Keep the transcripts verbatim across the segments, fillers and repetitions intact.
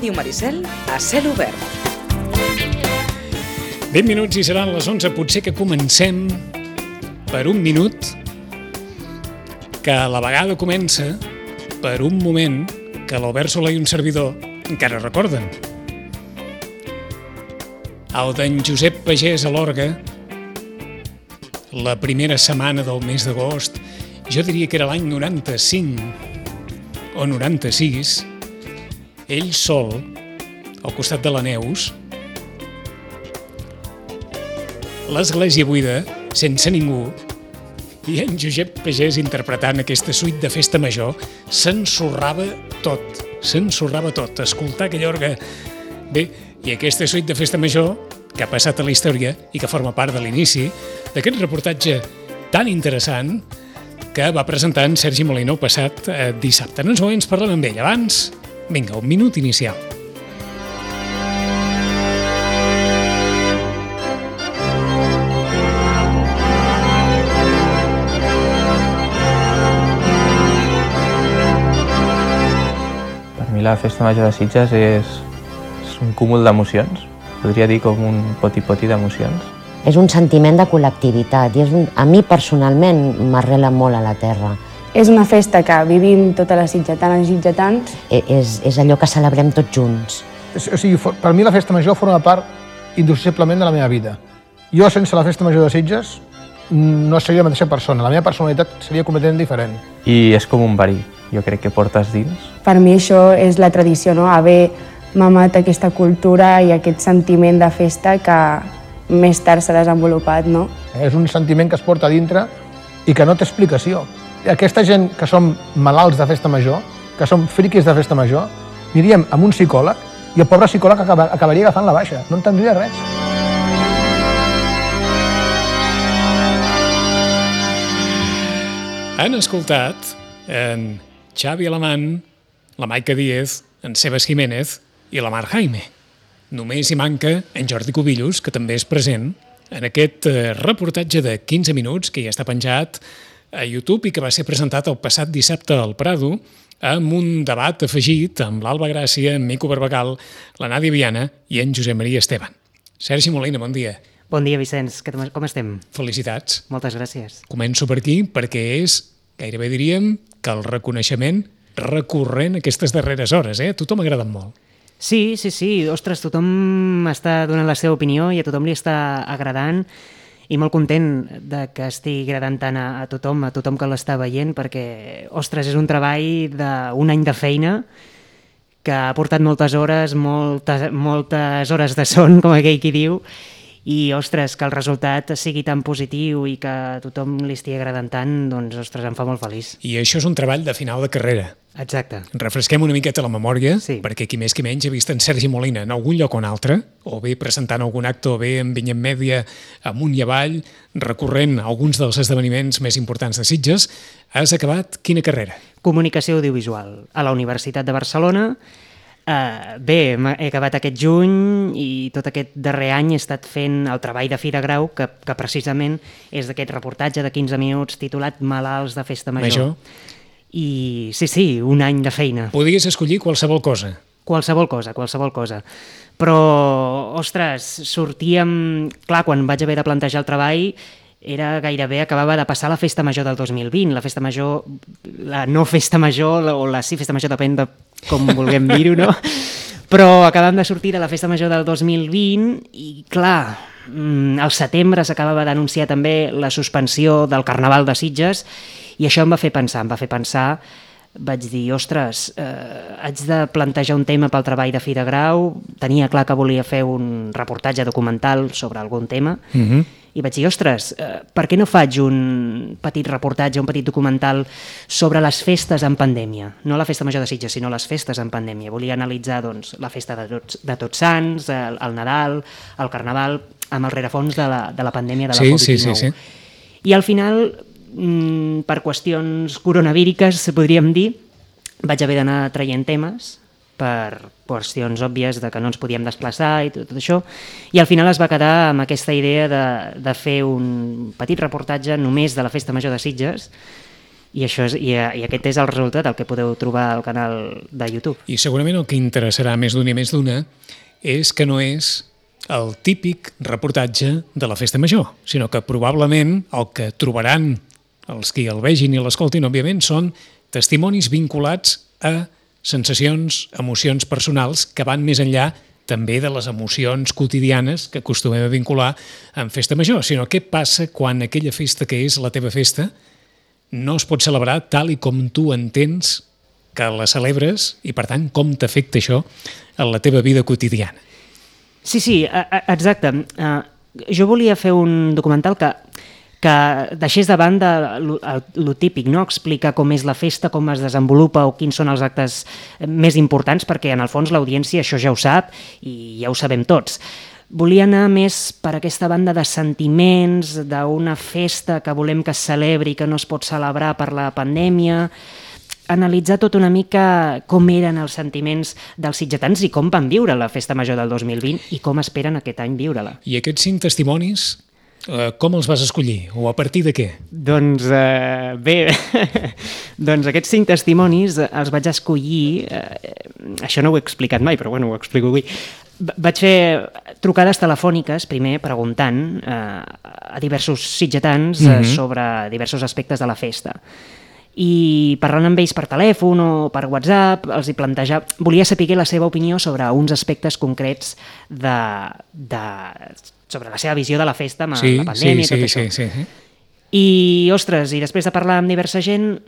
Ràdio Maricel a cel obert. vint minuts i seran les onze. Potser que comencem per un minut que a la vegada comença per un moment que l'Albert Soler i un servidor encara recorden. El d'en Josep Pagès a l'orgue, la primera setmana del mes d'agost, jo diria que era l'any noranta-cinc o noranta-sis, ell sol, al costat de la Neus, l'església buida, sense ningú, i en Josep Pagès interpretant aquesta suite de festa major, s'ensorrava tot, s'ensorrava tot, escoltar aquell orgue. Bé, i aquesta suite de festa major, que ha passat a la història i que forma part de l'inici d'aquest reportatge tan interessant que va presentar en Sergi Molino passat eh, dissabte. En uns moments parlem amb ell. Abans, vinga, un minut inicial. Per mi la Festa Major de Sitges és, és un cúmul d'emocions. Podria dir com un poti-poti d'emocions. És un sentiment de col·lectivitat i és un, a mi personalment m'arrela molt a la terra. És una festa que vivim totes les sitgetanes i sitgetans. E, és, és allò que celebrem tots junts. O sigui, per mi la Festa Major forma part indissociablement de la meva vida. Jo, sense la Festa Major de Sitges, no seria la mateixa persona. La meva personalitat seria completament diferent. I és com un verí, jo crec que portes dins. Per mi això és la tradició, no? Haver mamat aquesta cultura i aquest sentiment de festa que més tard s'ha desenvolupat, no? És un sentiment que es porta a dintre i que no té explicació. Aquesta gent que som malalts de Festa Major, que som friquis de Festa Major, aniríem amb un psicòleg i el pobre psicòleg acabaria agafant la baixa, no entendria res. Han escoltat en Xavi Alamán, la Maica Díez, en Sebas Jiménez i la Mar Jaime. Només hi manca en Jordi Cubillos, que també és present en aquest reportatge de quinze minuts que ja està penjat a YouTube i que va ser presentat el passat dissabte al Prado amb un debat afegit amb l'Alba Gràcia, en Mico Barbagal, la Nàdia Viana i en Josep Maria Esteban. Sergi Molina, bon dia. Bon dia, Vicenç. Com estem? Felicitats. Moltes gràcies. Començo per aquí perquè és, gairebé diríem, que el reconeixement recurrent aquestes darreres hores, eh? A tothom ha agradat molt. Sí, sí, sí. Ostres, tothom està donant la seva opinió i a tothom li està agradant i molt content de que estigui agradant tant a, a tothom, a tothom que l'està veient, perquè, ostres, és un treball d'un any de feina que ha portat moltes hores, moltes, moltes hores de son, com aquell qui diu, i, ostres, que el resultat sigui tan positiu i que a tothom li estigui agradant tant, doncs, ostres, em fa molt feliç. I això és un treball de final de carrera. Exacte. Refresquem una miqueta la memòria, sí, perquè qui més qui menys ha vist en Sergi Molina en algun lloc o en altre, o bé presentant algun acte, o bé en Vinyet Mèdia, amunt i avall, recorrent a alguns dels esdeveniments més importants de Sitges. Has acabat quina carrera? Comunicació audiovisual a la Universitat de Barcelona. Uh, bé, he acabat aquest juny i tot aquest darrer any he estat fent el treball de fi de grau que, que precisament és d'aquest reportatge de quinze minuts titulat Malalts de Festa Major. Major. I sí, sí, un any de feina. Podies escollir qualsevol cosa. Qualsevol cosa, qualsevol cosa. Però, ostres, sortíem... Clar, quan vaig haver de plantejar el treball era gairebé, acabava de passar la Festa Major del dos mil vint, la Festa Major, la no Festa Major, o la sí Festa Major, depèn de com vulguem dir-ho, no? Però acabàvem de sortir de la Festa Major del dos mil vint i, clar, al setembre s'acabava d'anunciar també la suspensió del Carnaval de Sitges i això em va fer pensar, em va fer pensar, vaig dir, ostres, eh, haig de plantejar un tema pel treball de fi de grau, tenia clar que volia fer un reportatge documental sobre algun tema, uh-huh. i vaig dir, ostres, eh, per què no faig un petit reportatge, un petit documental sobre les festes en pandèmia? No la Festa Major de Sitges, sinó les festes en pandèmia. Volia analitzar doncs, la festa de tots, de tots Sants, el, el Nadal, el Carnaval, amb el rerefons de la, de la pandèmia de la sí, Covid dinou. Sí, sí, sí. I al final, mmm, per qüestions coronavíriques, podríem dir, vaig haver d'anar traient temes per qüestions òbvies de que no ens podíem desplaçar i tot, tot això, i al final es va quedar amb aquesta idea de, de fer un petit reportatge només de la Festa Major de Sitges I, això és, i, i aquest és el resultat, el que podeu trobar al canal de YouTube. I segurament el que interessarà més d'una i més d'una és que no és el típic reportatge de la Festa Major, sinó que probablement el que trobaran els qui el vegin i l'escoltin, òbviament, són testimonis vinculats a sensacions, emocions personals que van més enllà també de les emocions quotidianes que acostumem a vincular amb Festa Major, sinó què passa quan aquella festa que és la teva festa no es pot celebrar tal i com tu entens que la celebres i, per tant, com t'afecta això en la teva vida quotidiana. Sí, sí, exacte. Uh, jo volia fer un documental que, que deixés de banda el típic, no? Explicar com és la festa, com es desenvolupa o quins són els actes més importants, perquè en el fons l'audiència això ja ho sap i ja ho sabem tots. Volia anar més per aquesta banda de sentiments, d'una festa que volem que es celebri i que no es pot celebrar per la pandèmia, analitzar tot una mica com eren els sentiments dels sitgetans i com van viure la Festa Major del dos mil vint i com esperen aquest any viure-la. I aquests cinc testimonis, eh, com els vas escollir? O a partir de què? Doncs eh, bé, doncs aquests cinc testimonis els vaig escollir, eh, això no ho he explicat mai, però bueno, ho explico avui. Vaig fer trucades telefòniques, primer, preguntant eh, a diversos sitgetans eh, mm-hmm. sobre diversos aspectes de la festa. I parlant amb ells per telèfon o per WhatsApp, els hi plantejava... Volia saber la seva opinió sobre uns aspectes concrets de, de, sobre la seva visió de la festa amb sí, la pandèmia sí, i tot sí, això. Sí, sí. I, ostres, i després de parlar amb diversa gent,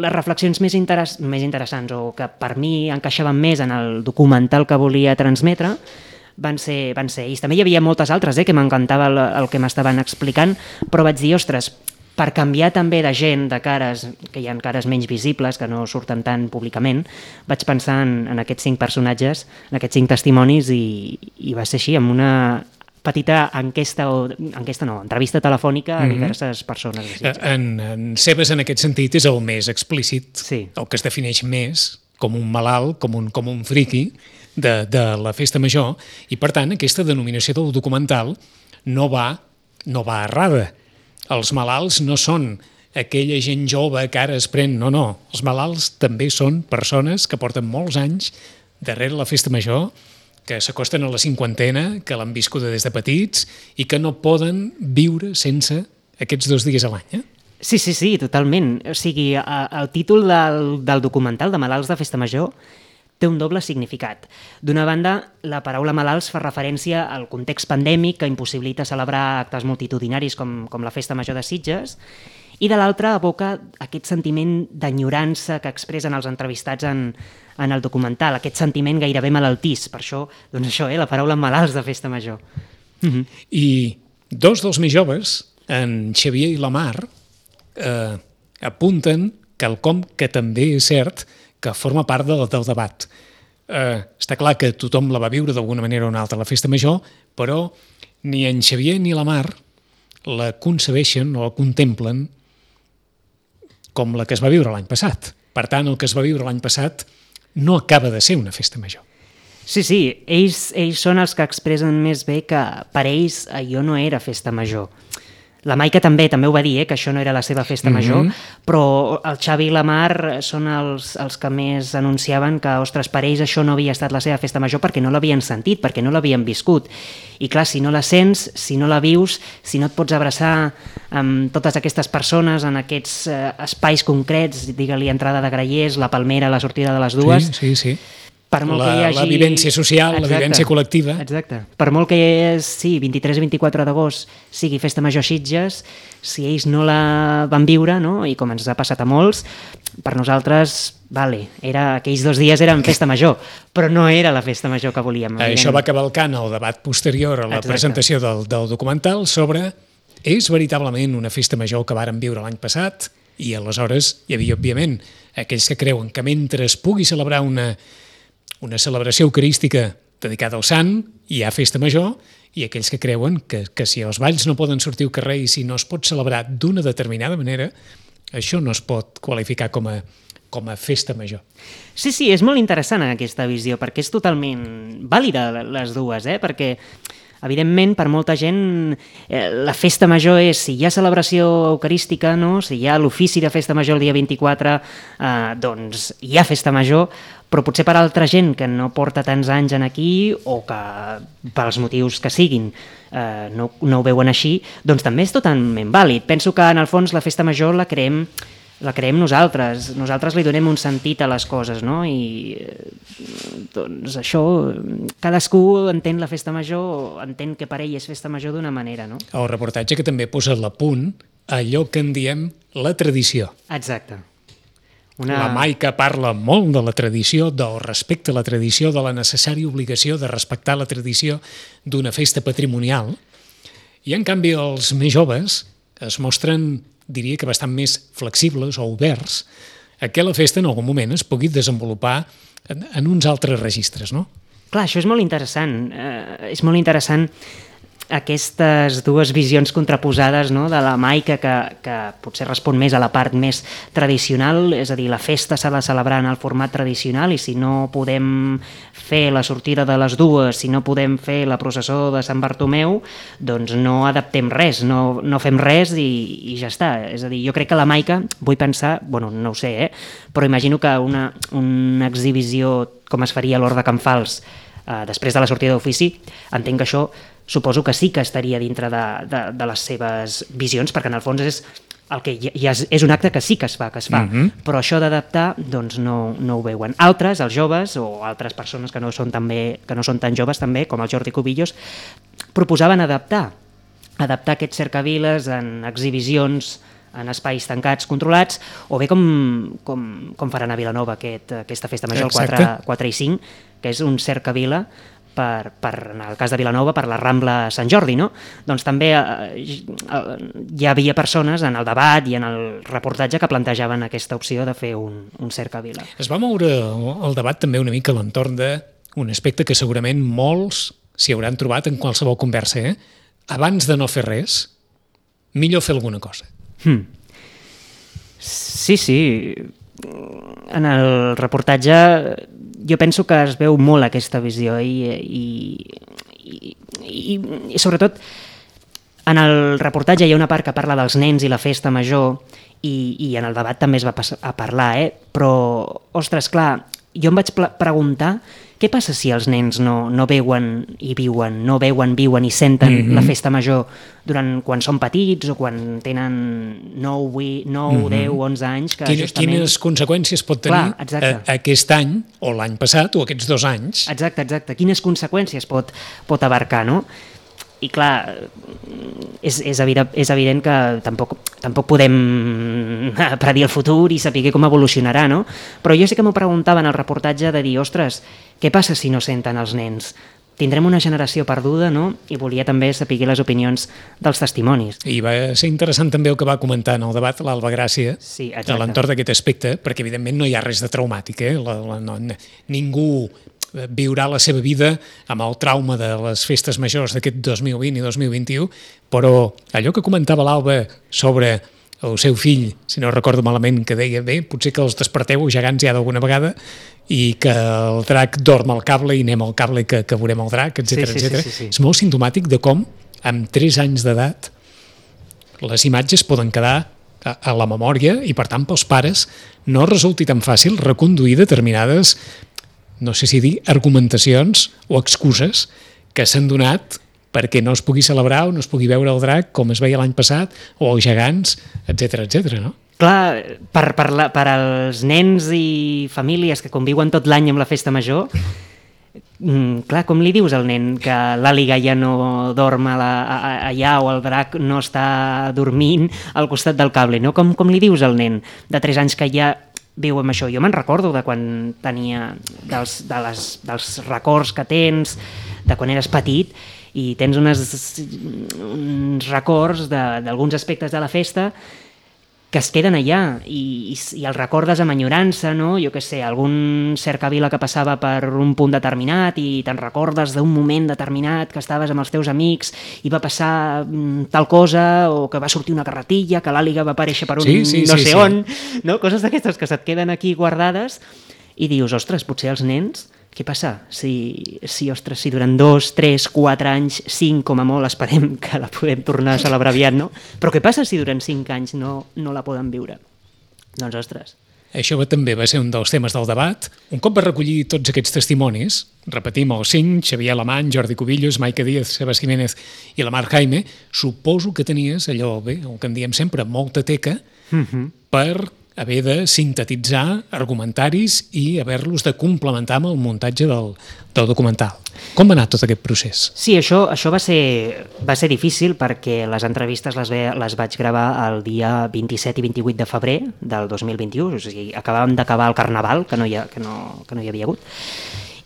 les reflexions més, interess més interessants o que per mi encaixaven més en el documental que volia transmetre van ser, van ser ells. També hi havia moltes altres eh, que m'encantava el, el que m'estaven explicant, però vaig dir, ostres, per canviar també de gent, de cares, que hi ha cares menys visibles, que no surten tant públicament, vaig pensar en, en aquests cinc personatges, en aquests cinc testimonis, i, i va ser així, amb una petita enquesta, o enquesta no, entrevista telefònica a diverses mm-hmm. persones. En, en Sebes, en aquest sentit, és el més explícit, sí. El que es defineix més com un malalt, com un, com un friqui de, de la Festa Major, i per tant aquesta denominació del documental no va, no va errada. Els malalts no són aquella gent jove que ara es pren, no, no. Els malalts també són persones que porten molts anys darrere la Festa Major, que s'acosten a la cinquantena, que l'han viscuda des de petits i que no poden viure sense aquests dos dies a l'any. Eh? Sí, sí, sí, totalment. O sigui, el títol del, del documental de Malalts de Festa Major té un doble significat. D'una banda, la paraula malalts fa referència al context pandèmic que impossibilita celebrar actes multitudinaris com, com la Festa Major de Sitges, i de l'altra evoca aquest sentiment d'enyorança que expressen els entrevistats en, en el documental, aquest sentiment gairebé malaltís. Per això, doncs això, eh, la paraula malalts de Festa Major. Mm-hmm. I dos dels més joves, en Xavier i la Mar, eh, apunten quelcom que també és cert, que forma part del, del debat. Eh, està clar que tothom la va viure d'alguna manera o una altra la Festa Major, però ni en Xavier ni la Mar la concebeixen o la contemplen com la que es va viure l'any passat. Per tant, el que es va viure l'any passat no acaba de ser una Festa Major. Sí, sí, ells, ells són els que expressen més bé que per ells allò no era Festa Major. La Maica també també ho va dir, eh, que això no era la seva festa major, mm-hmm. però el Xavi i la Mar són els, els que més anunciaven que, ostres, per ells això no havia estat la seva festa major perquè no l'havien sentit, perquè no l'havien viscut. I clar, si no la sents, si no la vius, si no et pots abraçar amb totes aquestes persones en aquests eh, espais concrets, digue-li entrada de Grallers, la Palmera, la sortida de les dues... Sí, sí, sí. Per molt la, que hi hagi... la vivència social, exacte, la vivència col·lectiva. Exacte. Per molt que sí, vint-i-tres i vint-i-quatre d'agost sigui Festa Major Sitges, si ells no la van viure, no? I com ens ha passat a molts, per nosaltres, vale, era, aquells dos dies eren Festa Major, però no era la Festa Major que volíem. Això va cavalcant el debat posterior a la exacte. presentació del, del documental sobre és veritablement una Festa Major que vàrem viure l'any passat, i aleshores hi havia, òbviament, aquells que creuen que mentre es pugui celebrar una una celebració eucarística dedicada al sant, hi ha Festa Major, i aquells que creuen que, que si els balls no poden sortir al carrer i si no es pot celebrar d'una determinada manera, això no es pot qualificar com a, com a Festa Major. Sí, sí, és molt interessant aquesta visió, perquè és totalment vàlida les dues, eh? Perquè Evidentment, per molta gent, eh, la festa major és, si hi ha celebració eucarística, no? Si hi ha l'ofici de festa major el dia vint-i-quatre, eh, doncs hi ha festa major, però potser per altra gent que no porta tants anys en aquí o que pels motius que siguin eh, no, no ho veuen així, doncs també és totalment vàlid. Penso que en el fons la festa major la creem la creem nosaltres, nosaltres li donem un sentit a les coses, no? I doncs això, cadascú entén la festa major, entén que per ell és festa major d'una manera, no? El reportatge que també posa a punt allò que en diem la tradició. Exacte. Una... La Maica parla molt de la tradició, del respecte a la tradició, de la necessària obligació de respectar la tradició d'una festa patrimonial, i en canvi els més joves es mostren, diria que bastant més flexibles o oberts a que la festa en algun moment es pugui desenvolupar en, en uns altres registres, no? Clar, això és molt interessant. Eh, és molt interessant aquestes dues visions contraposades, no? De la Maica, que, que potser respon més a la part més tradicional, és a dir, la festa s'ha de celebrar en el format tradicional i si no podem fer la sortida de les dues, si no podem fer la processó de Sant Bartomeu, doncs no adaptem res, no, no fem res i, i ja està. És a dir, jo crec que la Maica, vull pensar, bueno, no ho sé, eh? Però imagino que una, una exhibició com es faria a l'Hort de Can Fals eh, després de la sortida d'ofici, entenc que això suposo que sí que estaria dintre de, de, de les seves visions, perquè en el fons és, el que ja és, és un acte que sí que es fa, que es fa, mm-hmm. Però això d'adaptar doncs no, no ho veuen. Altres, els joves, o altres persones que no són, també, que no són tan joves també, com el Jordi Cubillos, proposaven adaptar, adaptar aquests cercaviles en exhibicions en espais tancats, controlats, o bé com, com, com faran a Vilanova aquest, aquesta festa major, el quatre, quatre i cinc, que és un cercavila per, per, en el cas de Vilanova, per la Rambla Sant Jordi, no? Doncs també eh, hi havia persones en el debat i en el reportatge que plantejaven aquesta opció de fer un, un cercavila. Es va moure el debat també una mica a l'entorn d'un aspecte que segurament molts s'hi hauran trobat en qualsevol conversa, eh? Abans de no fer res, millor fer alguna cosa. Hmm. Sí, sí. En el reportatge jo penso que es veu molt aquesta visió i, i, i, i, i sobretot en el reportatge hi ha una part que parla dels nens i la festa major i, i en el debat també es va a parlar, eh? Però, ostres, clar, jo em vaig preguntar què passa si els nens no, no veuen i viuen, no veuen, viuen i senten mm-hmm. la festa major durant quan són petits o quan tenen nou, mm-hmm. deu, onze anys. Que Quines, justament... quines conseqüències pot tenir Clar, a, aquest any o l'any passat o aquests dos anys? Exacte, exacte. Quines conseqüències pot, pot abarcar, no? I clar, és, és, evident, és evident que tampoc, tampoc podem predir el futur i saber com evolucionarà, no? Però jo sí que m'ho preguntava en el reportatge de dir, ostres, què passa si no senten els nens? Tindrem una generació perduda, no? I volia també saber les opinions dels testimonis. I va ser interessant també el que va comentar en el debat l'Alba Gràcia, sí, a l'entorn d'aquest aspecte, perquè evidentment no hi ha res de traumàtic, eh? La, la, no, ningú viurà la seva vida amb el trauma de les festes majors d'aquest dos mil vint i dos mil vint-i-u, però allò que comentava l'Alba sobre el seu fill, si no recordo malament, que deia, bé, potser que els desperteu gegants ja d'alguna vegada i que el drac dorm al cable i anem al cable que, que veurem el drac, etcètera, sí, sí, etcètera. Sí, sí, sí. És molt simptomàtic de com, amb tres anys d'edat, les imatges poden quedar a, a la memòria i, per tant, pels pares no resulti tan fàcil reconduir determinades, no sé si dir, argumentacions o excuses que s'han donat perquè no es pugui celebrar o no es pugui veure el drac com es veia l'any passat, o els gegants, etcètera, etcètera, no? Clar, per, per, la, per als nens i famílies que conviuen tot l'any amb la festa major, mm, clar, com li dius al nen que l'àliga ja no dorm a la, a, allà o el drac no està dormint al costat del cable, no? Com, com li dius al nen de tres anys que ja viu amb això? Jo me'n recordo de quan tenia, dels, de les, dels records que tens, de quan eres petit, i tens unes, uns records d'alguns aspectes de la festa que es queden allà i, i, i els recordes amb enyorança, no? Jo què sé, algun cercavila que passava per un punt determinat i te'n recordes d'un moment determinat que estaves amb els teus amics i va passar mm, tal cosa, o que va sortir una carretilla, que l'àliga va aparèixer per un sí, sí, no sí, sé sí. on, no? Coses d'aquestes que se't queden aquí guardades i dius, ostres, potser els nens què passa? Si, si, ostres, si durant dos, tres, quatre anys, cinc com a molt, esperem que la podem tornar a celebrar aviat, no? Però què passa si durant cinc anys no, no la poden viure? Doncs, ostres... Això va, també va ser un dels temes del debat. Un cop va recollir tots aquests testimonis, repetim, els cinc, Xavier Alemany, Jordi Cubillos, Maica Díaz, Sebas Jiménez i la Mar Jaime, suposo que tenies allò, bé, el que en diem sempre, molta teca, uh-huh. per haver de sintetitzar argumentaris i haver-los de complementar amb el muntatge del, del documental. Com va anar tot aquest procés? Sí, això, això va, ser, va ser difícil perquè les entrevistes les, ve, les vaig gravar el dia vint-i-set i vint-i-vuit de febrer del dos mil vint-i-u, o sigui, acabàvem d'acabar el Carnaval, que no, hi ha, que, no, que no hi havia hagut,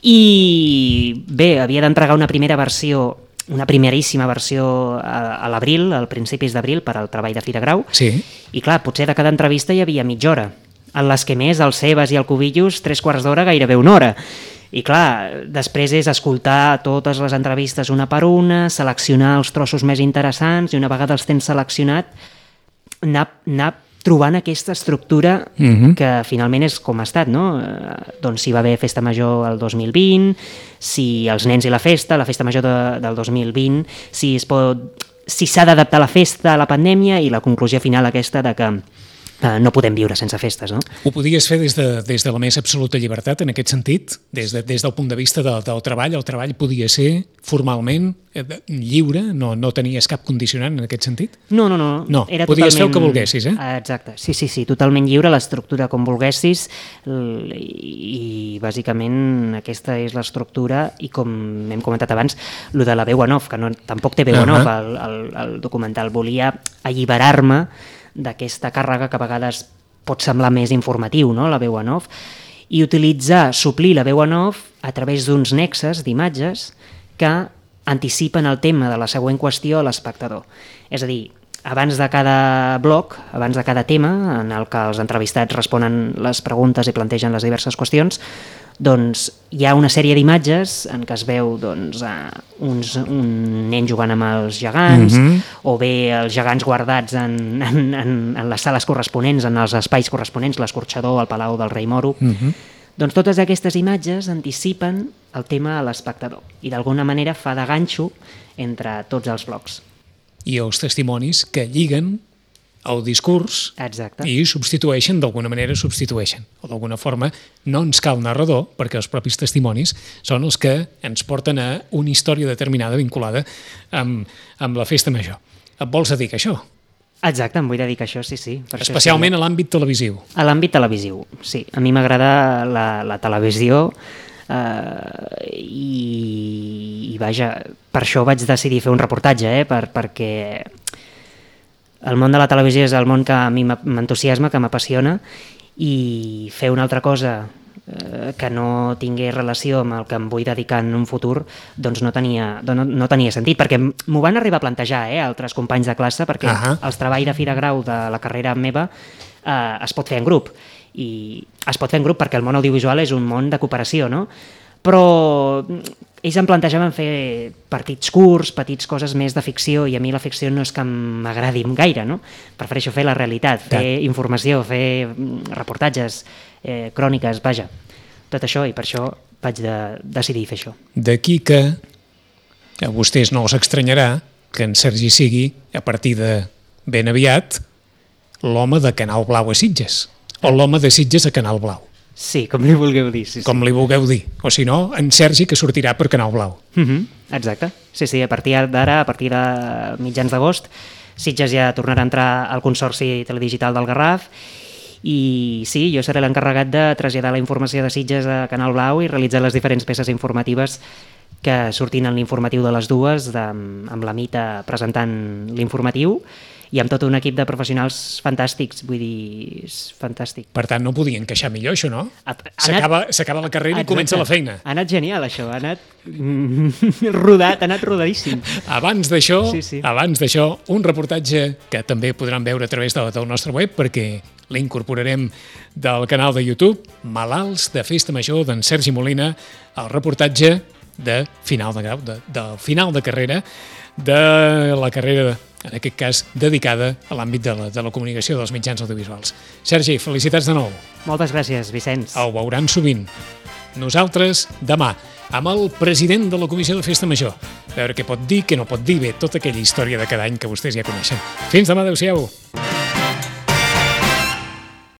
i bé, havia d'entregar una primera versió una primeríssima versió a, a l'abril, al principis d'abril, per al treball de Fira Grau. Sí. I clar, potser de cada entrevista hi havia mitja hora. En les que més, el Sebas i el Cubillos, tres quarts d'hora, gairebé una hora. I clar, després és escoltar totes les entrevistes una per una, seleccionar els trossos més interessants i una vegada els tens seleccionat, anar, anar trobant aquesta estructura uh-huh. que finalment és com ha estat, no? Eh, doncs si va haver festa major el dos mil vint, si els nens i la festa, la festa major de, del dos mil vint, si es pot, si s'ha d'adaptar la festa a la pandèmia i la conclusió final aquesta de que Uh, no podem viure sense festes, no? Ho podies fer des de, des de la més absoluta llibertat, en aquest sentit? Des, de, des del punt de vista de, del treball, el treball podia ser formalment eh, lliure? No, no tenies cap condicionant en aquest sentit? No, no, no. No, era podies totalment... fer el que volguessis, eh? Exacte, sí, sí, sí, totalment lliure, l'estructura com volguessis i, i bàsicament aquesta és l'estructura i com hem comentat abans, lo de la veu en off, que no, tampoc té veu en uh-huh. off el, el, el documental. Volia alliberar-me d'aquesta càrrega que a vegades pot semblar més informatiu, no?, la veu en off, i utilitzar, suplir la veu en off a través d'uns nexes d'imatges que anticipen el tema de la següent qüestió a l'espectador. És a dir, abans de cada bloc, abans de cada tema, en el que els entrevistats responen les preguntes i plantegen les diverses qüestions, doncs hi ha una sèrie d'imatges en què es veu doncs, uns, un nen jugant amb els gegants, mm-hmm. o bé els gegants guardats en, en, en, en les sales corresponents, en els espais corresponents, l'escorxador, el Palau del Rei Moro. Mm-hmm. Doncs totes aquestes imatges anticipen el tema a l'espectador i d'alguna manera fa de ganxo entre tots els blocs. I els testimonis que lliguen el discurs. Exacte. I substitueixen, d'alguna manera substitueixen. O d'alguna forma no ens cal narrador, perquè els propis testimonis són els que ens porten a una història determinada vinculada amb, amb la festa major. Et vols dedicar a això? Exacte, em vull dedicar a això, sí, sí. Per especialment això sí. A l'àmbit televisiu. A l'àmbit televisiu, sí. A mi m'agrada la, la televisió eh, i, i vaja, per això vaig decidir fer un reportatge, eh, per, perquè el món de la televisió és el món que a mi m'entusiasma, que m'apassiona, i fer una altra cosa eh, que no tingués relació amb el que em vull dedicar en un futur, doncs no tenia, no, no tenia sentit, perquè m'ho van arribar a plantejar eh, altres companys de classe, perquè uh-huh. els treballs de Fira Grau de la carrera meva eh, es pot fer en grup, i es pot fer en grup perquè el món audiovisual és un món de cooperació, no? Però ells em plantejaven fer partits curts, petits coses més de ficció, i a mi la ficció no és que m'agradi gaire, no? Prefereixo fer la realitat, fer ja. informació, fer reportatges, eh, cròniques, vaja, tot això, i per això vaig de, decidir fer això. D'aquí que a vostès no els estranyarà que en Sergi sigui, a partir de ben aviat, l'home de Canal Blau a Sitges, o l'home de Sitges a Canal Blau. Sí, com li vulgueu dir. Sí, sí. Com li vulgueu dir. O si no, en Sergi, que sortirà per Canal Blau. Uh-huh. Exacte. Sí, sí, a partir d'ara, a partir de mitjans d'agost, Sitges ja tornarà a entrar al Consorci Teledigital del Garraf, i sí, jo seré l'encarregat de traslladar la informació de Sitges a Canal Blau i realitzar les diferents peces informatives que sortin en l'informatiu de les dues, de, amb la Mita presentant l'informatiu, i amb tot un equip de professionals fantàstics, vull dir, és fantàstic. Per tant, no podien queixar millor, això, no? S'acaba la carrera i comença la feina. Ha anat genial, això, ha anat rodat, ha anat rodadíssim. Abans d'això, sí, sí. abans d'això, un reportatge que també podran veure a través de, del nostre web, perquè l'incorporarem del canal de YouTube, Malalts de Festa Major, d'en Sergi Molina, el reportatge de final de grau, de, de final de carrera, de la carrera, en aquest cas, dedicada a l'àmbit de, la, de la comunicació dels mitjans audiovisuals. Sergi, felicitats de nou. Moltes gràcies, Vicenç. Ho veuran sovint. Nosaltres, demà, amb el president de la Comissió de Festa Major. A veure què pot dir, què no pot dir, bé, tota aquella història de cada any que vostès ja coneixen. Fins demà, adeu-siau.